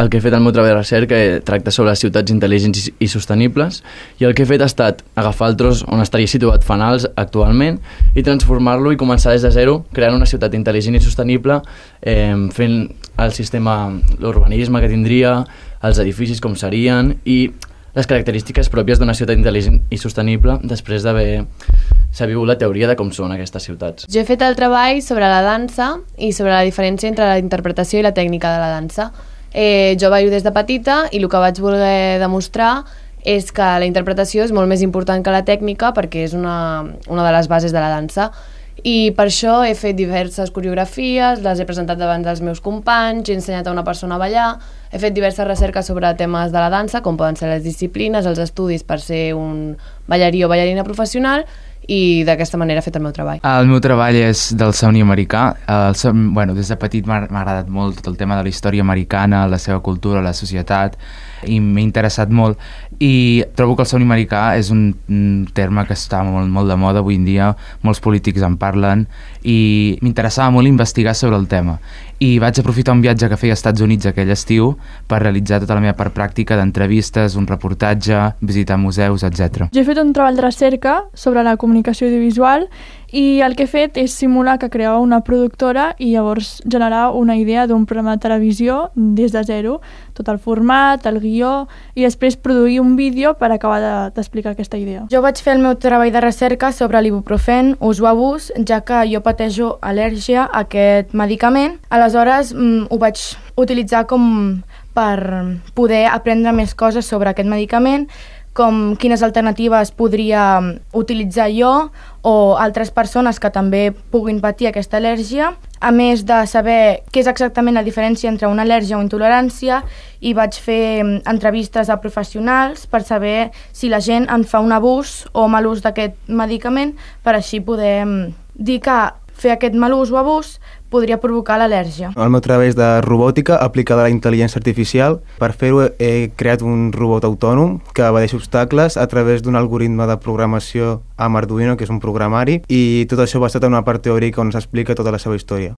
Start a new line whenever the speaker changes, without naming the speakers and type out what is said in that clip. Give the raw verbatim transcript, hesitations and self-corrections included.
El que he fet al meu treball de recerca tracta sobre ciutats intel·ligents i sostenibles, i el que he fet ha estat agafar el tros on estaria situat Fenals actualment i transformar-lo i començar des de zero, creant una ciutat intel·ligent i sostenible, eh, fent el sistema, l'urbanisme que tindria, els edificis com serien i les característiques pròpies d'una ciutat intel·ligent i sostenible després d'haver sabut la teoria de com són aquestes ciutats.
Jo he fet el treball sobre la dansa i sobre la diferència entre la interpretació i la tècnica de la dansa. Eh, jo ballo des de petita i el que vaig voler demostrar és que la interpretació és molt més important que la tècnica perquè és una, una de les bases de la dansa, i per això he fet diverses coreografies, les he presentat davant dels meus companys, he ensenyat a una persona a ballar, he fet diverses recerques sobre temes de la dansa, com poden ser les disciplines, els estudis per ser un ballarí o ballarina professional, i d'aquesta manera he fet el meu treball.
El meu treball és del somni americà. El som... bueno, des de petit m'ha agradat molt tot el tema de la història americana, la seva cultura, la societat, i m'he interessat molt, i trobo que el somni americà és un terme que està molt, molt de moda avui en dia, molts polítics en parlen, i m'interessava molt investigar sobre el tema, i vaig aprofitar un viatge que feia als Estats Units aquell estiu per realitzar tota la meva part pràctica d'entrevistes, un reportatge, visitar museus, etcètera.
Jo he fet un treball de recerca sobre la comunicació audiovisual i el que he fet és simular que creava una productora i llavors generar una idea d'un programa de televisió des de zero, tot el format, el guió, i després produir un vídeo per acabar d'explicar aquesta idea.
Jo vaig fer el meu treball de recerca sobre l'ibuprofen, ús o abús, ja que jo pateixo al·lèrgia a aquest medicament. Aleshores mm, ho vaig utilitzar com per poder aprendre més coses sobre aquest medicament, com quines alternatives podria utilitzar jo o altres persones que també puguin patir aquesta al·lèrgia, a més de saber què és exactament la diferència entre una al·lèrgia o intolerància, i vaig fer entrevistes a professionals per saber si la gent en fa un abús o mal ús d'aquest medicament, per així poder dir que fer aquest mal ús o abús podria provocar l'al·lèrgia.
El meu treball és de robòtica aplicada a la intel·ligència artificial. Per fer-ho he creat un robot autònom que evadeix obstacles a través d'un algoritme de programació amb Arduino, que és un programari, i tot això basat en una part teòrica on s'explica tota la seva història.